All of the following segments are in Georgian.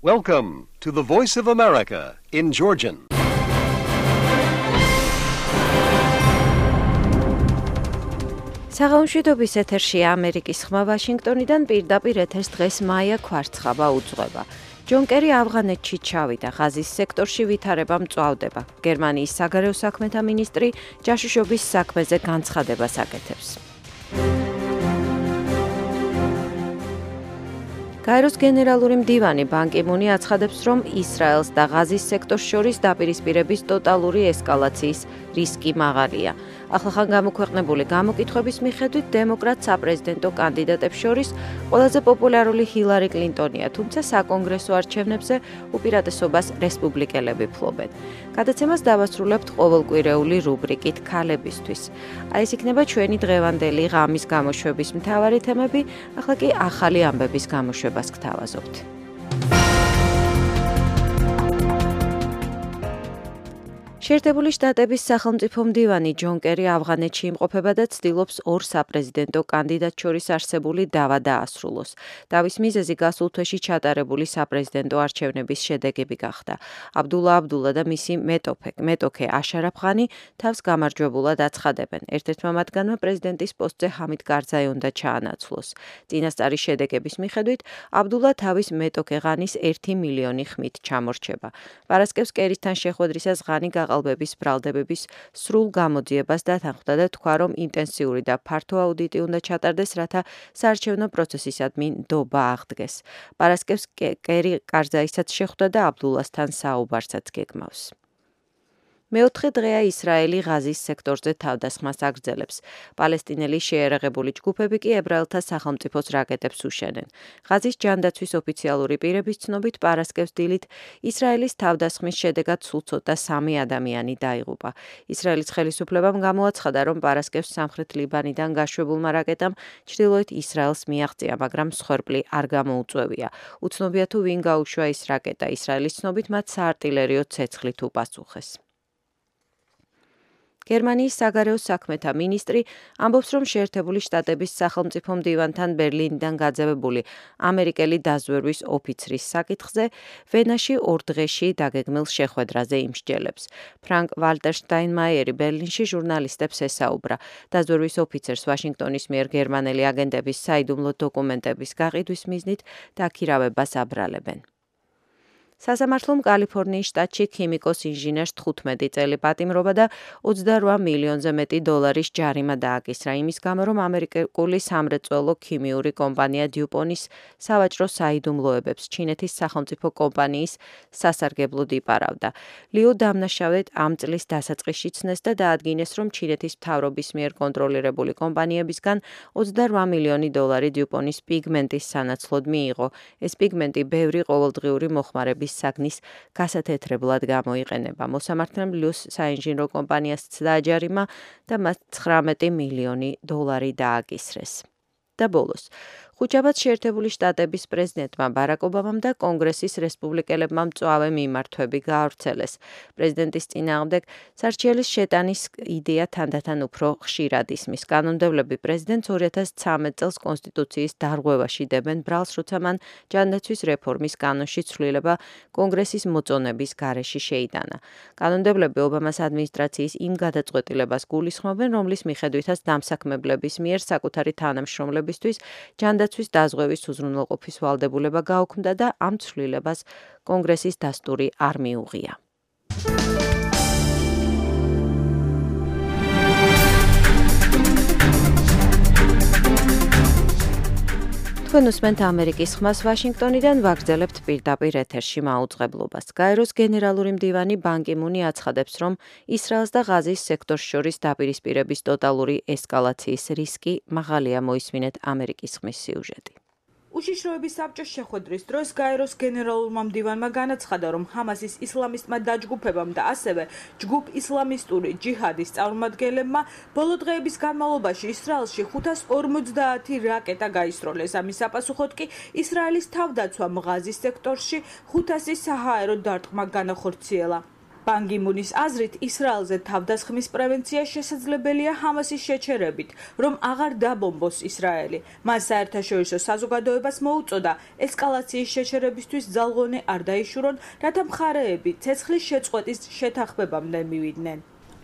Welcome to the Voice of America in Georgian. საღამოშვიდობის ეთერშია ამერიკის ხმა ვაშინგტონიდან პირდაპირ ეთერს დღეს მაია ქვარცხაბა უძღვება. ჯონ კერი ავღანეთში ჩავიდა, ღაზის სექტორში ვითარება მწვავდება. გერმანიის საგარეო საქმეთა მინისტრი ჯაშუშობის საქმეზე განცხადებას აკეთებს. გაეროს გენერალური მდივანი ბან კი მუნი აცხადებს, რომ ისრაელს და ღაზის სექტორს შორის დაპირისპირების ტოტალური ესკალაციის რისკი მაღალია. ახლახან გამოქვეყნებული გამოკითხვების მიხედვით დემოკრატ საპრეზიდენტო კანდიდატებს შორის ყველაზე პოპულარული ჰილარი კლინტონია, თუმცა საკონგრესო არჩევნებზე უპირატესობას რესპუბლიკელები ფლობენ. გადაცემას დავასრულებთ ყოველკვირეული რუბრიკით ქალებისთვის. აი ეს იქნება ჩვენი დღევანდელი ღამის გამოშვების მთავარი თემები, ახლა კი ახალი ამბების გამოშვებას გთავაზობთ. შეერთებული შტატების სახელმწიფო მდივანი ჯონ კერი ავღანეთში იმყოფება და ცდილობს ორ საპრეზიდენტო კანდიდატს შორის არსებული დავა დაასრულოს. დავის მიზეზი გასულ თვეში ჩატარებული საპრეზიდენტო არჩევნების შედეგები გახდა. აბდულა და მისი მეტოქე აშარაფ ღანი თავს გამარჯვებულად აცხადებენ. ერთ-ერთმა მათგანმა პრეზიდენტის პოსტზე ჰამიდ კარზაი უნდა ჩაანაცვლოს. წინასწარი შედეგების მიხედვით აბდულა თავის მეტოქე ღანის 1 მილიონი ხმით ჩამორჩება. პარასკევს კერისთან შეხვედრისას ღანი გაყალბების ბრალდებების სრულ გამოძიებას დათანხმდა და თქვა, რომ ინტენსიური და ფართო აუდიტი უნდა ჩატარდეს, რათა საარჩევნო პროცესისადმი ნდობა აღდგეს. პარასკევს კერი კარზაისაც შეხვდა და აბდულასთან საუბარსაც გეგმავს. მეოთხე დღეა ისრაელი ღაზის სექტორზე თავდასხმას აგრძელებს. პალესტინელი შეიარაღებული ჯგუფები კი ებრაელთა სახელმწიფოს რაკეტებს უშენენ. ღაზის ჯანდაცვის ოფიციალური პირების ცნობით პარასკევს დილით ისრაელის თავდასხმის შედეგად სულ ცოტა 3 ადამიანი დაიღუპა. ისრაელის ხელისუფლებამ გამოაცხადა, რომ პარასკევს სამხრეთ ლიბანიდან გაშვებულმა რაკეტამ ჩრდილოეთ ისრაელს მიაღწია, მაგრამ მსხვერპლი არ გამოუწვევია. უცნობია თუ ვინ გაუშვა ეს რაკეტა. ისრაელის ცნობით მათ საარტილერიო ცეცხლით უპასუხეს. გერმანიის საგარეო საქმეთა მინისტრი ამბობს, რომ შეერთებული შტატების სახელმწიფო მდივანთან ბერლინიდან გაძევებული ამერიკელი დაზვერვის ოფიცრის საკითხზე ვენაში 2 დღეში დაგეგმილ შეხვედრაზე იმსჯელებს. ფრანკ ვალტერ შტაინმაიერი ბერლინში ჟურნალისტებს ესაუბრა. დაზვერვის ოფიცერს ვაშინგტონის მიერ გერმანელი აგენტების საიდუმლო დოკუმენტების გაყიდვის მიზნით დაქირავებას აბრალებენ. სასამართლომ კალიფორნიის შტატში ქიმიკოს ინჟინერს 15 წელი პატიმრობა და 28 მილიონზე მეტი დოლარის ჯარიმა დააკისრა იმის გამო, რომ ამერიკული სამრეწველო ქიმიური კომპანია დიუპონის სავაჭრო საიდუმლოებებს ჩინეთის სახელმწიფო კომპანიის სასარგებლოდ იპარავდა. ლიუ დამნაშავედ ამ წლის დასაწყისში ცნეს და დაადგინეს, რომ ჩინეთის მთავრობის მიერ კონტროლირებული კომპანიებისგან 28 მილიონი დოლარი დიუპონის პიგმენტის სანაცვლოდ მიიღო. ეს პიგმენტი ბევრი ყოველდღიური მოხმარების საგნის გასათეთრებლად გამოიყენება. მოსამართლემ ლიუს საინჟინრო კომპანიასაც დააჯარიმა და მას 19 მილიონი დოლარი დააკისრეს. და ბოლოს, ხუთშაბათ შეერთებული შტატების პრეზიდენტმა ბარაკ ობამამ და კონგრესის რესპუბლიკელებმა მწვავე მიმართვები გაავრცელეს. პრეზიდენტის წინააღმდეგ სარჩელის შეტანის იდეა თანდათან უფრო ხშირად ისმის. კანონმდებლები პრეზიდენტს 2013 წელს კონსტიტუციის დარღვევაში დებენ ბრალს, როცა მან ჯანდაცვის რეფორმის კანონში ცვლილება კონგრესის მოწონების გარეშე შეიტანა. კანონმდებლები ობამას ადმინისტრაციის იმ გადაწყვეტილებას გულისხმობენ, რომლის მიხედვითაც დამსაქმებლების მიერ საკუთარი თანამშრომლებისთვის ჯანდაცვის დაზღვევის უზრუნველყოფის ვალდებულება გაუქმდა და ამ ცვლილებას კონგრესის დასტური არ მიუღია. თქვენ უსმენთ ამერიკის ხმას ვაშინგტონიდან, ვაგრძელებთ პირდაპირ ეთერში მაუწყებლობას. გაეროს გენერალური მდივანი ბან კი მუნი აცხადებს, რომ ისრაელს და ღაზის სექტორს შორის დაპირისპირების ტოტალური ესკალაციის რისკი მაღალია. მოისმინეთ ამერიკის ხმის სიუჟეტი. უშიშროების საბჭოს შეხვედრის დროს გაეროს გენერალურმა მდივანმა განაცხადა, რომ ჰამასის ისლამისტმა დაჯგუფებამ და ასევე ჯგუფ ისლამისტური ჯიჰადის წარმომადგენლებმა ბოლო დღეების განმავლობაში ისრაელში 550 რაკეტა გაისროლეს. ამის საპასუხოდ კი ისრაელის თავდაცვამ ღაზის სექტორში 500 საჰაერო დარტყმა განახორციელა. ბან კი მუნის აზრით, ისრაელზე თავდასხმის პრევენცია შესაძლებელია ჰამასის შეჩერებით, რომ აღარ დაბომბოს ისრაელი. მან საერთაშორისო საზოგადოებას მოუწოდა ესკალაციის შეჩერებისთვის ძალღონე არ დაიშურონ, რათა მხარეები ცეცხლის შეწყვეტის შეთანხმებამდე მივიდნენ.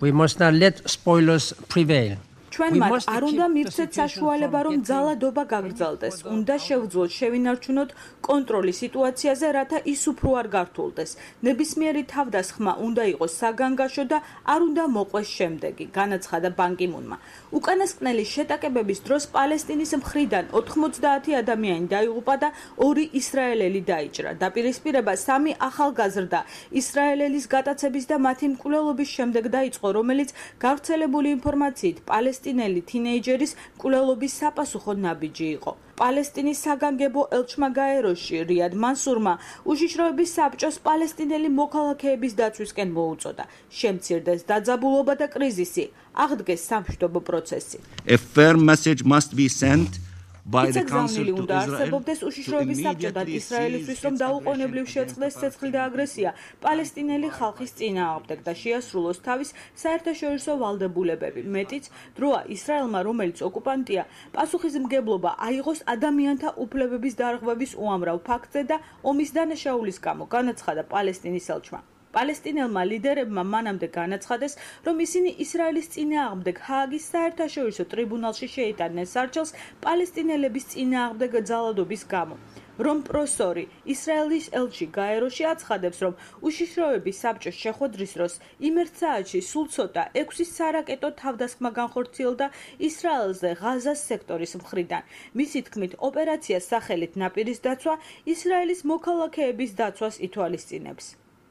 We must not let spoilers prevail. ჩვენ მათ არ უნდა მივცეთ საშუალება, რომ ძალადობა გაგრძელდეს. უნდა შევძლოთ შევინარჩუნოთ კონტროლი სიტუაციაზე, რათა ის უფრო არ გართულდეს. ნებისმიერი თავდასხმა უნდა იყოს საგანგაშო და არ უნდა მოყვეს შემდეგი, განაცხადა ბან კი მუნმა. უკანასკნელი შეტაკებების დროს პალესტინის მხრიდან 90 ადამიანი დაიღუპა და 2 ისრაელელი დაიჭრა. დაპირისპირება 3 ახალგაზრდა ისრაელელის გატაცების და მათი მკვლელობის შემდეგ დაიწყო, რომელიც გავრცელებული ინფორმაციით პალესტინელი თინეიჯერის მკვლელობის საპასუხო ნაბიჯი იყო. პალესტინის საგანგებო ელჩმა გაეროში რიად მანსურმა უშიშროების საბჭოს პალესტინელი მოქალაქეების დაცვისკენ მოუწოდა. შემცირდეს დაძაბულობა და κρიზისი, აღდგეს სამშვიდობო პროცესი. A firm message must be sent by the council to უნდა არსებობდეს უშიშროების საბჭო და ისრაელისთვის, რომ დაუყოვნებლივ შეწყდეს ცეცხლი და აგრესია პალესტინელი ხალხის წინააღმდეგ და შეასრულოს თავის საერთაშორისო ვალდებულებები. მეტიც დროა ისრაელმა, რომელიც ოკუპანტია, პასუხისმგებლობა აიღოს ადამიანთა უფლებების დარღვევის უამრავ ფაქტზე და ომის დანაშაულის გამო, განაცხადა პალესტინის ელჩმა. პალესტინელმა ლიდერებმა მანამდე განაცხადეს, რომ ისინი ისრაელის წინააღმდეგ ჰააგის საერთაშორისო ტრიბუნალში შეიტანენ სარჩელს პალესტინელების წინააღმდეგ ძალადობის გამო. რომ პროსორი ისრაელის ელჩი გაეროში აცხადებს, რომ უშიშროების საბჭოს შეხვედრის დროს იმერთ საათში სულ ცოტა 6 სარაკეტო თავდასხმა განხორციელდა ისრაელზე ღაზას სექტორის მხრიდან. მისი თქმით, ოპერაციას სახელით ნაპირის დაცვა ისრაელის მოქალაქეების დაცვას ითვალისწინებს.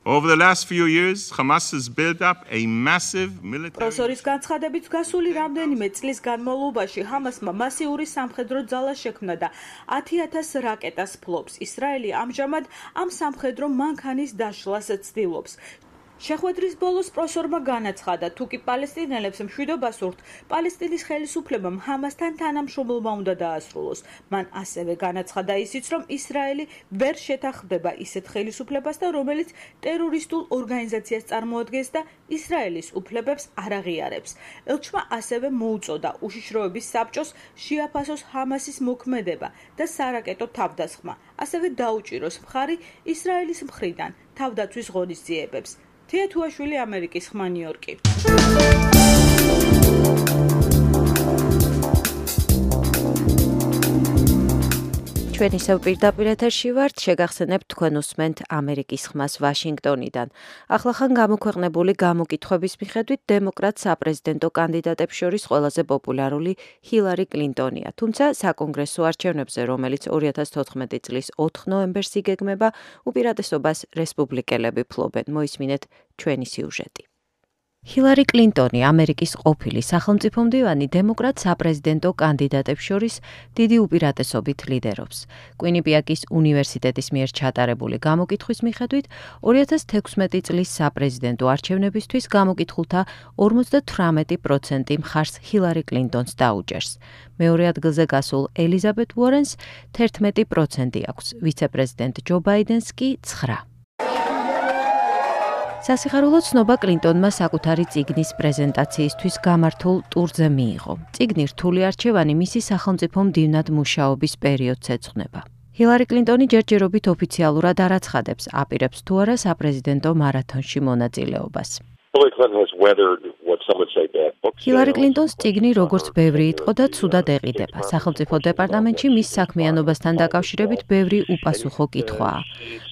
Over the last few years, Hamas has built up a massive military. პროსორის განცხადებით, გასული რამდენიმე წლის განმავლობაში ჰამასმა მასიური სამხედრო ძალა შექმნა და 10,000 რაკეტას ფლობს. ისრაელი ამჟამად ამ სამხედრო მანქანის დაშლას ცდილობს. შეხვედრის ბოლოს პროსორმა განაცხადა, თუ კი პალესტინელებს მშვიდობა სურთ, პალესტინის ხელისუფლებამ ჰამასთან თანამშრომლობა უნდა დაასრულოს. მან ასევე განაცხადა ისიც, რომ ისრაელი ვერ შეთანხმდება ისეთ ხელისუფლებას და რომელიც ტერორისტულ ორგანიზაციას წარმოადგენს და ისრაელის უფლებებს არ აღიარებს. ელჩმა ასევე მოუწოდა უშიშროების საბჭოს შეაფასოს ჰამასის მოქმედება და სარაკეტო თავდასხმა. ასევე დაუჭიროს მხარი ისრაელის მხრიდან თავდაცვის ღონისძიებებს. თია თუაშვილი, ამერიკის ხმა, ნიუ-იორკი. ჩვენ ისევ პირდაპირ ეთერში ვართ, შეგახსენებთ თქვენ უსმენთ ამერიკის ხმას ვაშინგტონიდან. ახლახან გამოქვეყნებული გამოკითხვების მიხედვით დემოკრატ საპრეზიდენტო კანდიდატებს შორის ყველაზე პოპულარული ჰილარი კლინტონია. თუმცა საკონგრესო არჩევნებზე, რომელიც 2014 წლის 4 ნოემბერს იგეგმება, უპირატესობას რესპუბლიკელები ფლობენ. მოისმინეთ ჩვენი სიუჟეტი. ჰილარი კლინტონი, ამერიკის ყოფილი სახელმწიფო მდივანი, დემოკრატ საპრეზიდენტო კანდიდატებს შორის დიდი უპირატესობით ლიდერობს. კვინიპიაკის უნივერსიტეტის მიერ ჩატარებული გამოკითხვის მიხედვით, 2016 წლის საპრეზიდენტო არჩევნებისთვის გამოკითხულთა 58% მხარს ჰილარი კლინტონს დაუჭერს. მეორე ადგილზე გასულ ელიზაბეთ უორენს 11% აქვს, ვიცე-პრეზიდენტ ჯო ბაიდენს კი 9%. სასიხარულო ცნობა კლინტონმა საკუთარი წიგნის პრეზენტაციისთვის გამართულ ტურზე მიიღო. წიგნი რთული არჩევანი მისი სახელმწიფო მდივნად მუშაობის პერიოდს ეძღვნება. ჰილარი კლინტონი ჯერჯერობით ოფიციალურად არ აცხადებს, აპირებს თუ არა საპრეზიდენტო მარათონში მონაწილეობას. ჰილარი კლინტონს წიგნი როგორც ბევრი იტყო და ცუდად ეყიდება. სახელმწიფო დეპარტამენტში მის საქმიანობასთან დაკავშირებით ბევრი უპასუხო კითხვაა.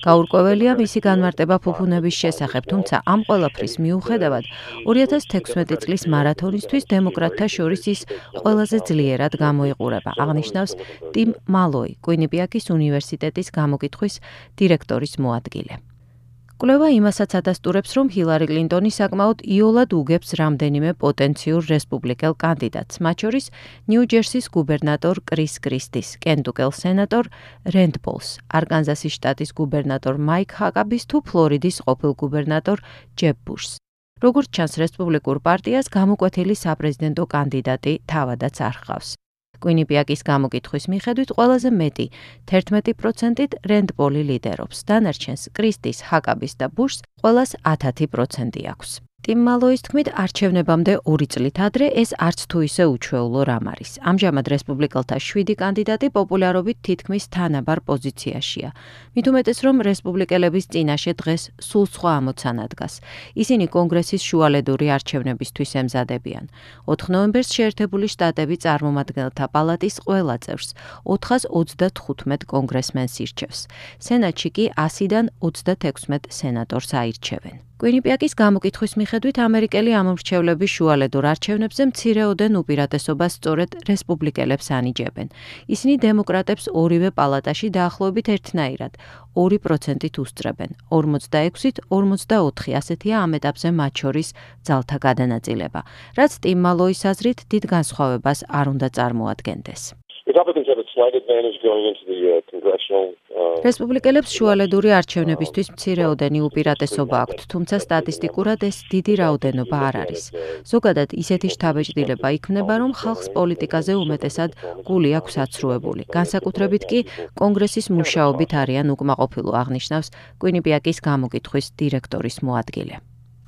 გაურკვეველია მისი განმარტება ფუფუნების შესახებ, თუმცა ამ ყველაფრის მიუხედავად 2016 წლის მარათონისთვის დემოკრატთა შორის ის ყველაზე ძლიერად გამოიყურება, აღნიშნავს ტიმ მალოი, კვინიპიაკის უნივერსიტეტის გამოკითხვის დირექტორის მოადგილე. კვლევა იმასაც ადასტურებს, რომ ჰილარი კლინტონი საკმაოდ იოლად უგებს რამდენიმე პოტენციურ რესპუბლიკელ კანდიდატს, მათ შორის ნიუ-ჯერსის გუბერნატორ კრის კრისტის, კენტუკელ სენატორ რენდ პოლს, არკანზასის შტატის გუბერნატორ მაიკ ჰაკაბის თუ ფლორიდის ყოფილ გუბერნატორ ჯებ ბუშს. როგორც ჩანს, რესპუბლიკურ პარტიას გამოკვეთილი საპრეზიდენტო კანდიდატი თავადაც არ ჰყავს. Quinnipiac's გამოკითხვის მიხედვით ყველაზე მეტი 11%-ით Rand Paul-ი ლიდერობს. დანარჩენს კრისტის, ჰაკაბის და ბუშს ყველას 10% აქვს. Tim Malloy-ის თქმით, არჩევნებამდე 2 წლით ადრე ეს არც თუ ისე უჩვეულო რამ არის. ამჟამად რესპუბლიკელთა 7 კანდიდატი პოპულარობით თითქმის თანაბარ პოზიციაშია. მით უმეტეს, რომ რესპუბლიკელების წინაშე დღეს სულ სხვა ამოცანა დგას. ისინი კონგრესის შუალედური არჩევნებისთვის ემზადებიან. 4 ნოემბერს შეერთებული შტატები წარმომადგენელთა პალატის ყველა წევრს 435 კონგრესმენს ირჩევს. სენატში კი 100-დან 36 სენატორს აირჩევენ. Quinnipiac's გამოკითხვის მიხედვით ამერიკელი ამომრჩევლები შუალედურ არჩევნებზე მცირეოდენ უპირატესობას სწორედ რესპუბლიკელებს ანიჭებენ. ისინი დემოკრატებს ორივე პალატაში დაახლოებით ერთნაირად 2%-ით უსწრებენ. 46-ით 44 ასეთია ამ ეტაპზე მათ შორის ძალთა გადანაწილება, რაც Tim Malloy-ის აზრით დიდ განსხვავებას არ უნდა წარმოადგენდეს. რესპუბლიკელებს შუალედური არჩევნებისთვის მცირეოდენი უპირატესობა აქვთ, თუმცა სტატისტიკურად ეს დიდი რაოდენობა არ არის. ზოგადად ისეთი შთაბეჭდილება იქმნება, რომ ხალხს პოლიტიკაზე უმეტესად გული აქვს აცრუებული. განსაკუთრებით კი კონგრესის მუშაობით არიან უკმაყოფილო, აღნიშნავს Quinnipiac's გამოკითხვის დირექტორის მოადგილე.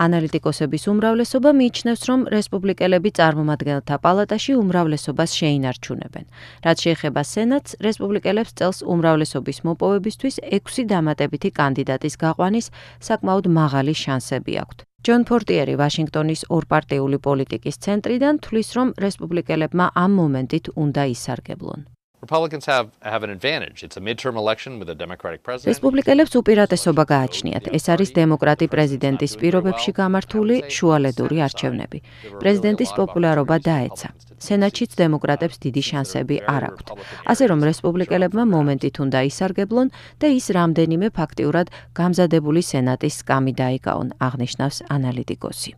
ანალიტიკოსების უმრავლესობა მიიჩნევს, რომ რესპუბლიკელები წარმომადგენელთა პალატაში უმრავლესობას შეინარჩუნებენ. რაც შეეხება სენატს, რესპუბლიკელებს წელს უმრავლესობის მოპოვებისთვის 6 დამატებითი კანდიდატის გაყვანის საკმაოდ მაღალი შანსები აქვთ. ჯონ ფორტიერი ვაშინგტონის ორპარტიული პოლიტიკის ცენტრიდან თვლის, რომ რესპუბლიკელებმა ამ მომენტით უნდა ისარგებლონ. Republicans have an advantage. It's a midterm election with a Democratic president. რესპუბლიკელებს უპირატესობა გააჩნიათ. ეს არის დემოკრატი პრეზიდენტის პირობებში გამართული შუალედური არჩევნები. პრეზიდენტის პოპულარობა დაეცა. სენატშიც დემოკრატებს დიდი შანსები არ აქვთ. ასე რომ რესპუბლიკელებმა მომენტით უნდა ისარგებლონ და ის რამდენიმე ფაქტიურად გამზადებული სენატის სკამი დაიკავონ, აღნიშნავს ანალიტიკოსი.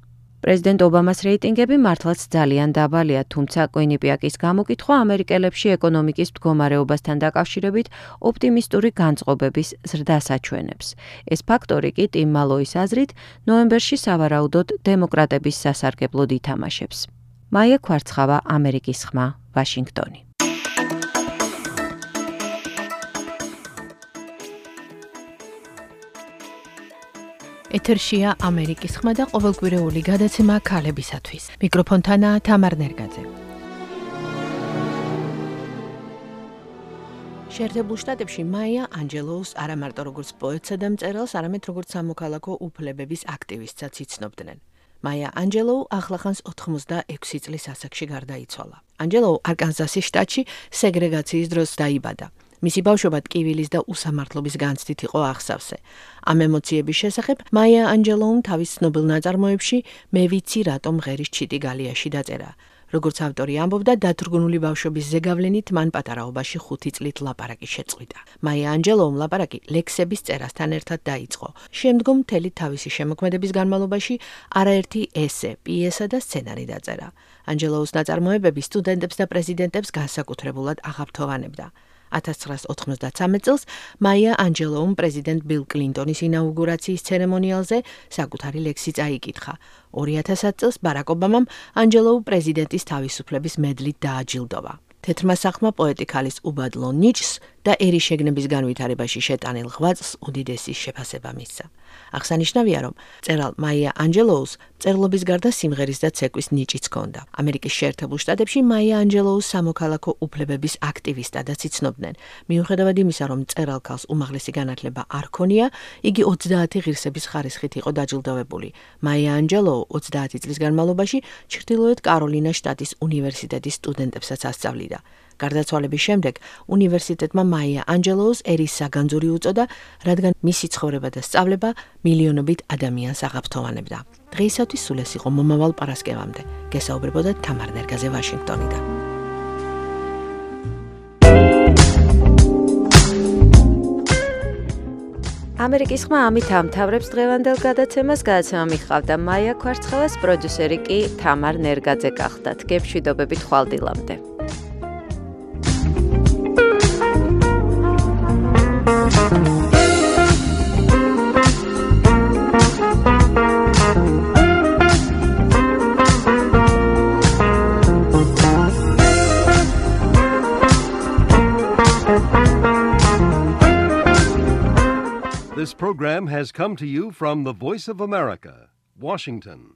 პრეზიდენტ ობამას რეიტინგები მართლაც ძალიან დაბალია, თუმცა Quinnipiac's გამოკითხვა ამერიკელებში ეკონომიკის მდგომარეობასთან დაკავშირებით ოპტიმისტური განწყობების ზრდას აჩვენებს. ეს ფაქტორი კი Tim Malloy-ის აზრით ნოემბერში სავარაუდოდ დემოკრატების სასარგებლოდ ითამაშებს. მაია ქვარცხავა, ამერიკის ხმა, ვაშინგტონი. ეთერშია ამერიკის ხმა და ყოველკვირეული გადაცემა ქალებისათვის. მიკროფონთანაა თამარ ნერგაძე. შეერთებულ შტატებში მაია ანჯელოუს არა მარტო როგორც პოეტსა და მწერალს, არამედ როგორც სამოქალაქო უფლებების აქტივისტსაც იცნობდნენ. მაია ანჯელოუ ახლახანს 86 წლის ასაკში გარდაიცვალა. ანჯელოუ არკანზასის შტატში სეგრეგაციის დროს დაიბადა. მისი ბავშვობა ტკივილის და უსამართლობის განცდით იყო აღსავსე. ამ ემოციების შესახებ მაია ანჯელოუმ თავის ცნობილ ნაწარმოებში მე ვიცი რატომ ღერის ჩიტი გალიაში დაწერა. როგორც ავტორი ამბობდა, დათრგუნული ბავშვობის ზეგავლენით მან პატარაობაში 5 წლით ლაპარაკი შეწყვიტა. მაია ანჯელოუმ ლაპარაკი ლექსების წერასთან ერთად დაიწყო. შემდგომ მთელი თავისი შემოქმედების განმავლობაში არაერთი ესე, პიესა და სცენარი დაწერა. ანჯელოუს ნაწარმოებები სტუდენტებს და პრეზიდენტებს განსაკუთრებულად აღაფრთოვანებდა. 1993 წელს მაია ანჯელოუმ პრეზიდენტ ბილ კლინტონის ინაუგურაციის ცერემონიალზე საკუთარი ლექსი წაიკითხა. 2000 წელს ბარაკ ობამამ ანჯელოუ პრეზიდენტის თავისუფლების მედლით დააჯილდოვა. თეთრმა სახლმა პოეტი ქალის უბადლო ნიჭს და ერი შეგნების განვითარებაში შეტანილ ღვაწლს უდიდესი შეფასება მისცა. აღსანიშნავია, რომ მწერალ მაია ანჯელოუს მწერლობის გარდა სიმღერის და ცეკვის ნიჭიც ჰქონდა. ამერიკის შეერთებულ შტატებში მაია ანჯელოუს სამოქალაქო უფლებების აქტივისტადაც იცნობდნენ. მიუხედავად იმისა, რომ მწერალ ქალს უმაღლესი განათლება არ ჰქონია, იგი 30 ღირსების ხარისხით იყო დაჯილდოვებული. მაია ანჯელოუ 30 წლის განმავლობაში ჩრდილოეთ კაროლინას შტატის უნივერსიტეტის სტუდენტებსაც ასწავლიდა. გარდაცვალების შემდეგ უნივერსიტეტმა მაია ანჯელოუს ერის საგანძური უწოდა, რადგან მისი ცხოვრება და სწავლება მილიონობით ადამიანს აღაფრთოვანებდა. დღეისათვის სულ ეს იყო მომავალ პარასკევამდე. გესაუბრებოდა თამარ ნერგაძე ვაშინგტონიდან. ამერიკის ხმა ამით ამთავრებს დღევანდელ გადაცემას. გადაცემა მიხავდა მაია ქვარცხავას, პროდიუსერი კი თამარ ნერგაძე გახდათ. გეშვიდობებით ხვალდილამდე. program has come to you from the Voice of America, Washington.